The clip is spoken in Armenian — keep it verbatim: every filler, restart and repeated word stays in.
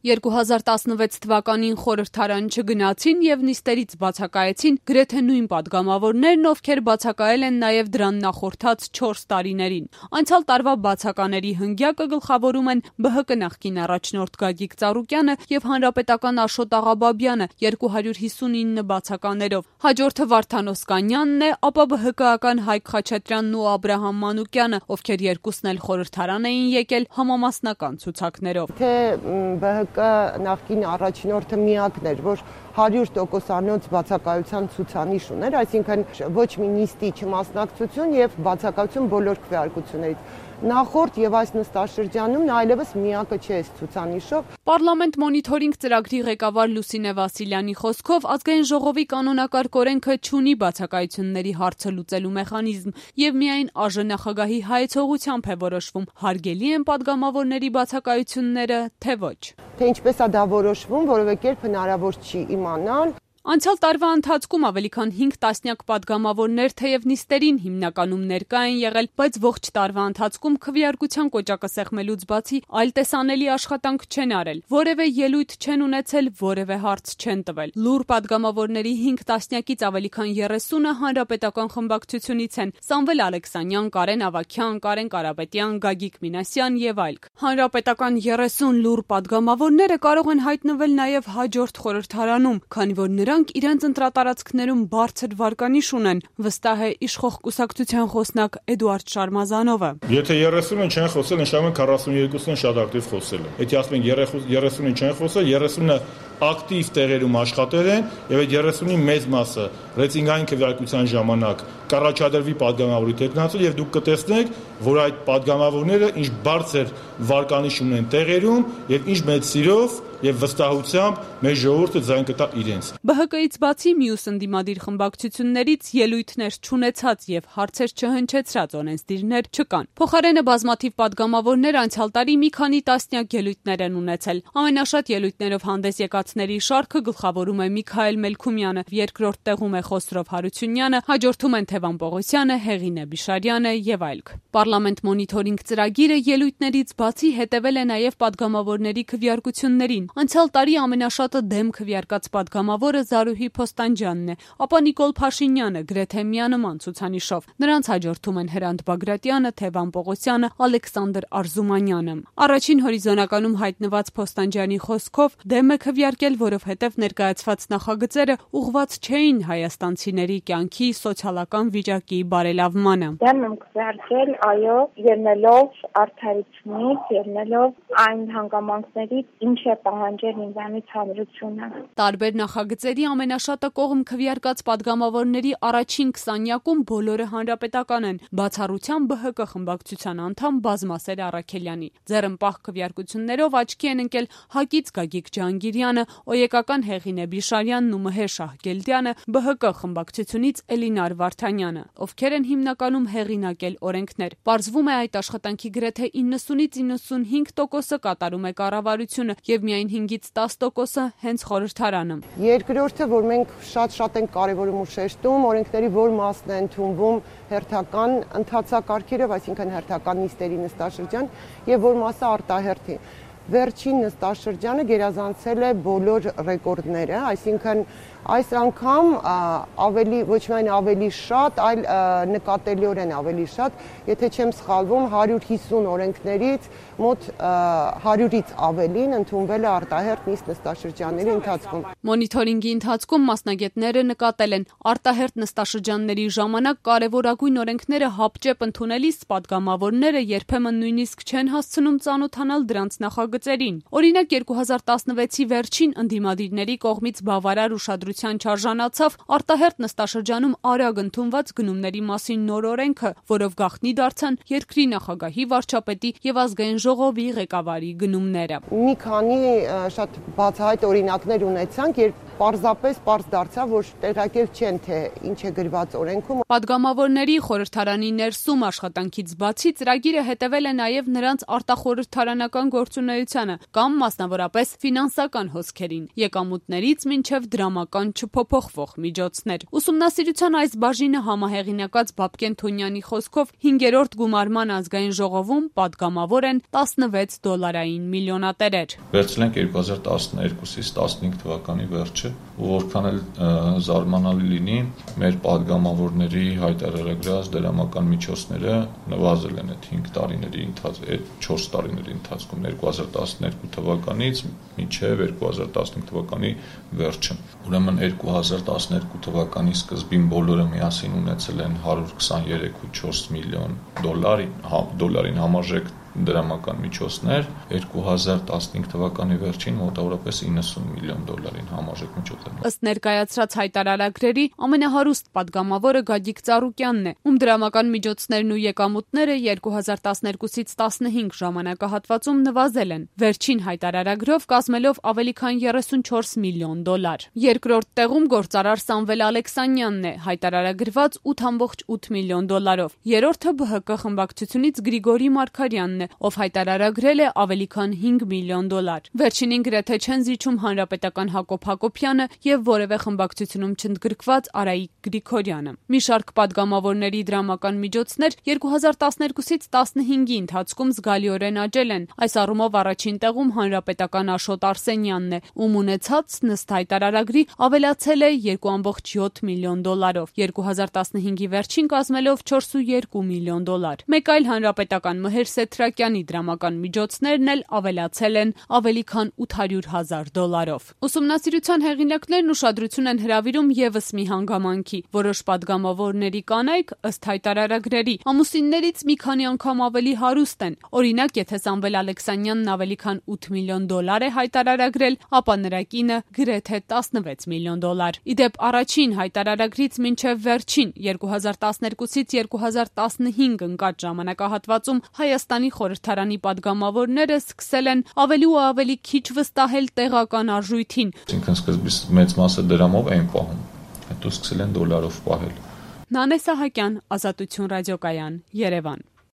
երկու հազար տասնվեց թվականին խորհրդարան չգնացին եւ նիստերից բացակայեցին գրեթե նույն падգամավորներն, ովքեր բացակայել են նաեւ դրան նախորդած չորս տարիներին։ Անցյալ տարվա բացակաների հնգյակը գլխավորում են Բ Հ Կ նախկին առաջնորդ Գագիկ Ծառուկյանը եւ Հանրապետական Աշոտ Աղաբաբյանը երկու հարյուր հիսունինը բացականերով։ Հաջորդը Վարդան Օսկանյանն է, ապա Բ Հ Կական Հայկ Խաչատրյանն ու Աբրահամ Մանուկյանը, ովքեր երկուսն էլ խորհրդարան էին եկել համամասնական ցուցակներով։ Թե Բ Հ Կ նախկին առաջնորդը միակն էր, որ հարյուր տոկոսանոց բացակայության ցուցանիշ ուներ, այսինքն ոչ մի նիստի չմասնակցություն եւ բացակայություն բոլոր քվեարկություններից։ Նախորդ եւ այս նստաշրջանում նա այլևս միակը չէ այս ցուցանիշով։ Պարլամենտ մոնիթորինգ ծրագրի ղեկավար Լուսինե Վասիլյանի խոսքով Ազգային ժողովի կանոնակարգ օրենքը չունի բացակայությունների հարցը լուծելու մեխանիզմ եւ միայն Ա Ժ նախագահի հայեցողությամբ է որոշվում հարգելի են падգամավորների բացակայությունները, թե ոչ։ Թե ինչպես է դա որոշվում, որովե կերպ հնարավոր չի իմանալ։ Անցյալ տարվա ընթացքում ավելի քան հինգ տասնյակ падգամավորներ թեև նիստերին հիմնականում ներկա են եղել, բայց ողջ տարվա ընթացքում քվեարկության կոճակը սեղմելուց բացի այլ տեսանելի աշխատանք չեն արել, որևէ ելույթ չեն ունեցել, որևէ հարց չեն տվել։ Լուռ падգամավորների հինգ տասնյակից ավելի քան երեսունը հանրապետական խմբակցությունից են՝ Սամվել Ալեքսանյան, Կարեն Ավագյան, Կարեն Կարապետյան, Գագիկ Մինասյան եւ այլք։ Հանրապետական երեսուն լուռ падգամավորները կարող են հայտնվել նաեւ հաջորդ խորհրդարանում, քանի որ նրանք իրենց ընտրատարածքներում բարձր վարկանիշ ունեն, վստահ է իշխող կուսակցության խոսնակ Էդուարդ Շարմազանովը։ Եթե երեսունը չեն խոսել, նշանակում է քառասուններկուսն շատ ակտիվ խոսել են։ Եթե ասում են երեսունը չեն խոսել, երեսունը ակտիվ տեղերում աշխատել են եւ այդ երեսունի մեծ մասը ռեյտինգային քվեարկության ժամանակ կառաջադրվի падգամավորի տեխնացու եւ դուք կտեսնեք, որ այդ падգամավորները ինչ բարձր վարկանիշ ունեն տեղերում եւ ինչ մեծ սիրով եւ վստահությամբ մեր ժողովուրդը ձայն կտա իրենց։ Բ Հ Կ-ից բացի մյուս ընդդիմադիր խմբակցություններից ելույթներ չունեցած եւ հարցեր չհնչեցրած օրենսդիրներ չկան։ Փոխարենը բազմաթիվ падգամավորներ անցյալ տարի մի քանի տասնյակ ելույթներ են ունեցել։ Ամենաշատ ելույթներով հանդես եկածների շարքը գլխավորում է Միքայել Մելքումյանը, երկրորդ տեղում է Խոսրով Հարությունյանը, հաջորդում են Թևան Պողոսյանը, Հեղինե Բիշարյանը եւ այլք։ Պարլամենտ մոնիթորինգ ծրագիրը ելույթներից բացի հետևել է նաեւ падգամավորների քվեարկություններին։ Անցյալ տարի ամենաշատը դեմ քվեարկած падգամավորը Զարուհի Փոստանջյանն է, ապա Նիկոլ Փաշինյանը գրեթե միանման ցուցանիշով։ Նրանց հաջորդում են Հրանտ Բագրատյանը, Թևան Պողոսյանը, Ալեքսանդր Արզումանյանը։ Առաջին հորիզոնականում հայտնված Փոստանջյանի խոսքով դեմ է քվեարկել, որովհետև ներկայացված նախագծերը ուղղված չէին հայաստանցիների կյանքի սոցիալական վիճակի բարելավմանը։ Դեմ եմ քվեարկել, այո, ելնելով արդարությունից, ելնելով այն հանգամանքներից, ինչ է պահանջել ինձանից հանրությունը։ Տարբեր նախագծերի ամենաշատը կողմ քվեարկած падգամավորների առաջին քսանյակում բոլորը հանրապետական են, բացառությամբ Բ Հ Կ խմբակցության անդամ Բազմասեր Առաքելյանի։ Ձեռնպահ քվեարկություններով աչքի են ընկել Հակից Գագիկ Ջհանգիրյանը, Օյեկական Հեղինե Բիշարյանն ու Մհեր Շահգելդյանը, Բ Հ Կ խմբակցությունից Էլինար Վարդանյանը, ովքեր են հիմնականում հեղինակել օրենքներ։ Պարզվում է այդ աշխատանքի գրեթե իննսունից իննսունհինգ տոկոսը կատարում է կառավարությունը եւ միայն հինգից տաս տոկոսը հենց խորհրդարանը։ Երկրորդը, որ մենք շատ-շատ ենք կարևորում ու շեշտում, օրենքների որ մասն է ընդունվում հերթական ընթացակարգերով, այսինքն հերթական նիստերի նստաշրջան, եւ որ մասը արտահերթի։ Վերջին նստաշրջանը գերազանցել է բոլոր ռեկորդները, այսինքն այս անգամ ավելի ոչ միայն ավելի շատ, այլ նկատելիորեն ավելի շատ, եթե չեմ սխալվում, հարյուր հիսուն օրենքներից մոտ հարյուրից ավելին ընդունվել է արտահերթ նիստ նստաշրջանների ընթացքում։ Մոնիթորինգի ընթացքում մասնագետները նկատել են արտահերթ նստաշրջանների ժամանակ կարևորագույն օրենքները հապճեպ ընդունելիս падգամավորները երբեմն նույնիսկ չեն հասցնում ծանոթանալ դրանց նախագծերին։ Օրինակ երկու հազար տասնվեցի վերջին ընդդիմադիրների կողմից բավարար ուշադրության չարժանացավ արտահերթ նստաշրջանում արագ ընդունված գնումների մասին նոր օրենքը, որով գաղտնի դարձան երկրի նախագահի, վարչապետի եւ ազգային ժողովի ղեկավարի գնումները։ Մի քանի շատ բացահայտ օրինակներ ունեցանք, երբ պարզապես պարզ դարձավ, որ տեղակել չեն, թե ինչ է գրված օրենքում։ Պատգամավորների խորհրդարանի ներսում աշխատանքից բացի ծրագիրը հետևել է նաև նրանց արտախորհրդարանական գործունեությանը կամ մասնավորապես ֆինանսական հոսքերին, եկամուտներից մինչև դրամական չփոփոխվող միջոցներ։ Ուսումնասիրության այս բաժինը համահեղինակած Բաբկեն Թոնյանի խոսքով հինգերորդ գումարման ազգային ժողովում պատգամավոր են տասնվեց դոլարային միլիոնատերեր։ Վերցնենք երկու հազար տասներկուսից տասնհինգ թվականի վերջը, ու որքան էլ զարմանալի լինի, մեր պատգամավորների հայտարարագրած դրամական միջոցները նվազել են այդ հինգ տարիների ընթացքում, այդ չորս տարիների ընթացքում երկու հազար տասներկու թվականից մինչև երկու հազար տասնհինգ թվականի վերջը։ Ուրեմն երկու հազար տասներկու թվականի սկզբին բոլորը միասին ունեցել են հարյուր քսաներեք կόμμα չորս միլիոն դոլար, դոլարին համարժեք դրամական միջոցներ, երկու հազար տասնհինգ թվականի վերջին մոտավորապես իննսուն միլիոն դոլարին համարժեք միջոցներ։ Ըստ ներկայացրած հայտարարագրերի ամենահարուստ պատգամավորը Գագիկ Ծառուկյանն է, ում դրամական միջոցներն ու եկամուտները երկու հազար տասներկուսից տասնհինգ ժամանակահատվածում նվազել են, վերջին հայտարարագրով կազմելով ավելի քան երեսունչորս միլիոն դոլար։ Երկրորդ տեղում գործարար Սամվել Ալեքսանյանն է, հայտարարագրված ութ կόμμα ութ միլիոն դոլարով։ Երրորդը Բ Հ Կ խմբակցությունից Գրիգորի Մարգարյանն է, ով հայտարարագրել է ավելի քան հինգ միլիոն դոլար։ Վերջինին գրեթե չեն զիջում հանրապետական Հակոբ Հակոբյանը եւ որևէ խմբակցությունում չընդգրկված Արայիկ Գրիգորյանը։ Մի շարք պատգամավորների դրամական միջոցներ երկու հազար տասներկուսից տասնհինգի ընթացքում զգալիորեն աճել են։ Այս առումով առաջին տեղում հանրապետական Աշոտ Արսենյանն է, ում ունեցածն ըստ հայտարարագրի ավելացել է երկու կόμμα յոթ միլիոն դոլարով, երկու հազար տասնհինգի վերջին կազմելով չորս կόμma երկու միլիոն դոլար։ Մեկ այլ հանրապետական Մհեր Սեթրակյանի դրամական միջոցներն էլ ավելացել են ավելի քան ութ հարյուր հազար դոլարով։ Ուսումնասիրության հեղինակներն ուշադրություն են հրավիրում եւս մի հանգամանքի։ Որոշ պատգամավորների կանայք, ըստ հայտարարագրերի, ամուսիններից մի քանի անգամ ավելի հարուստ են։ Օրինակ, եթե Սամվել Ալեքսանյանն ավելի քան ութ միլիոն դոլար է հայտարարագրել, ապա նրա կինը գրեթե տասնվեց միլիոն դոլար։ Իդեպ առաջին հայտարարագրից մինչև վերջին երկու հազար տասներկուսից երկու հազար տասնհինգ ընկած ժամանակահատվածում Հայաստանի խորհրդարանի պատգամավորները սկսել են ավելի ու ավելի քիչ վստահել տեղական արժույթին։ Այսինքն սկզբից մեծ մասը դրամով էին պահում, հետո սկսել են դոլարով պահել։ Նանե Սահակյան, Ազատություն ռադիոկայան, Երևան։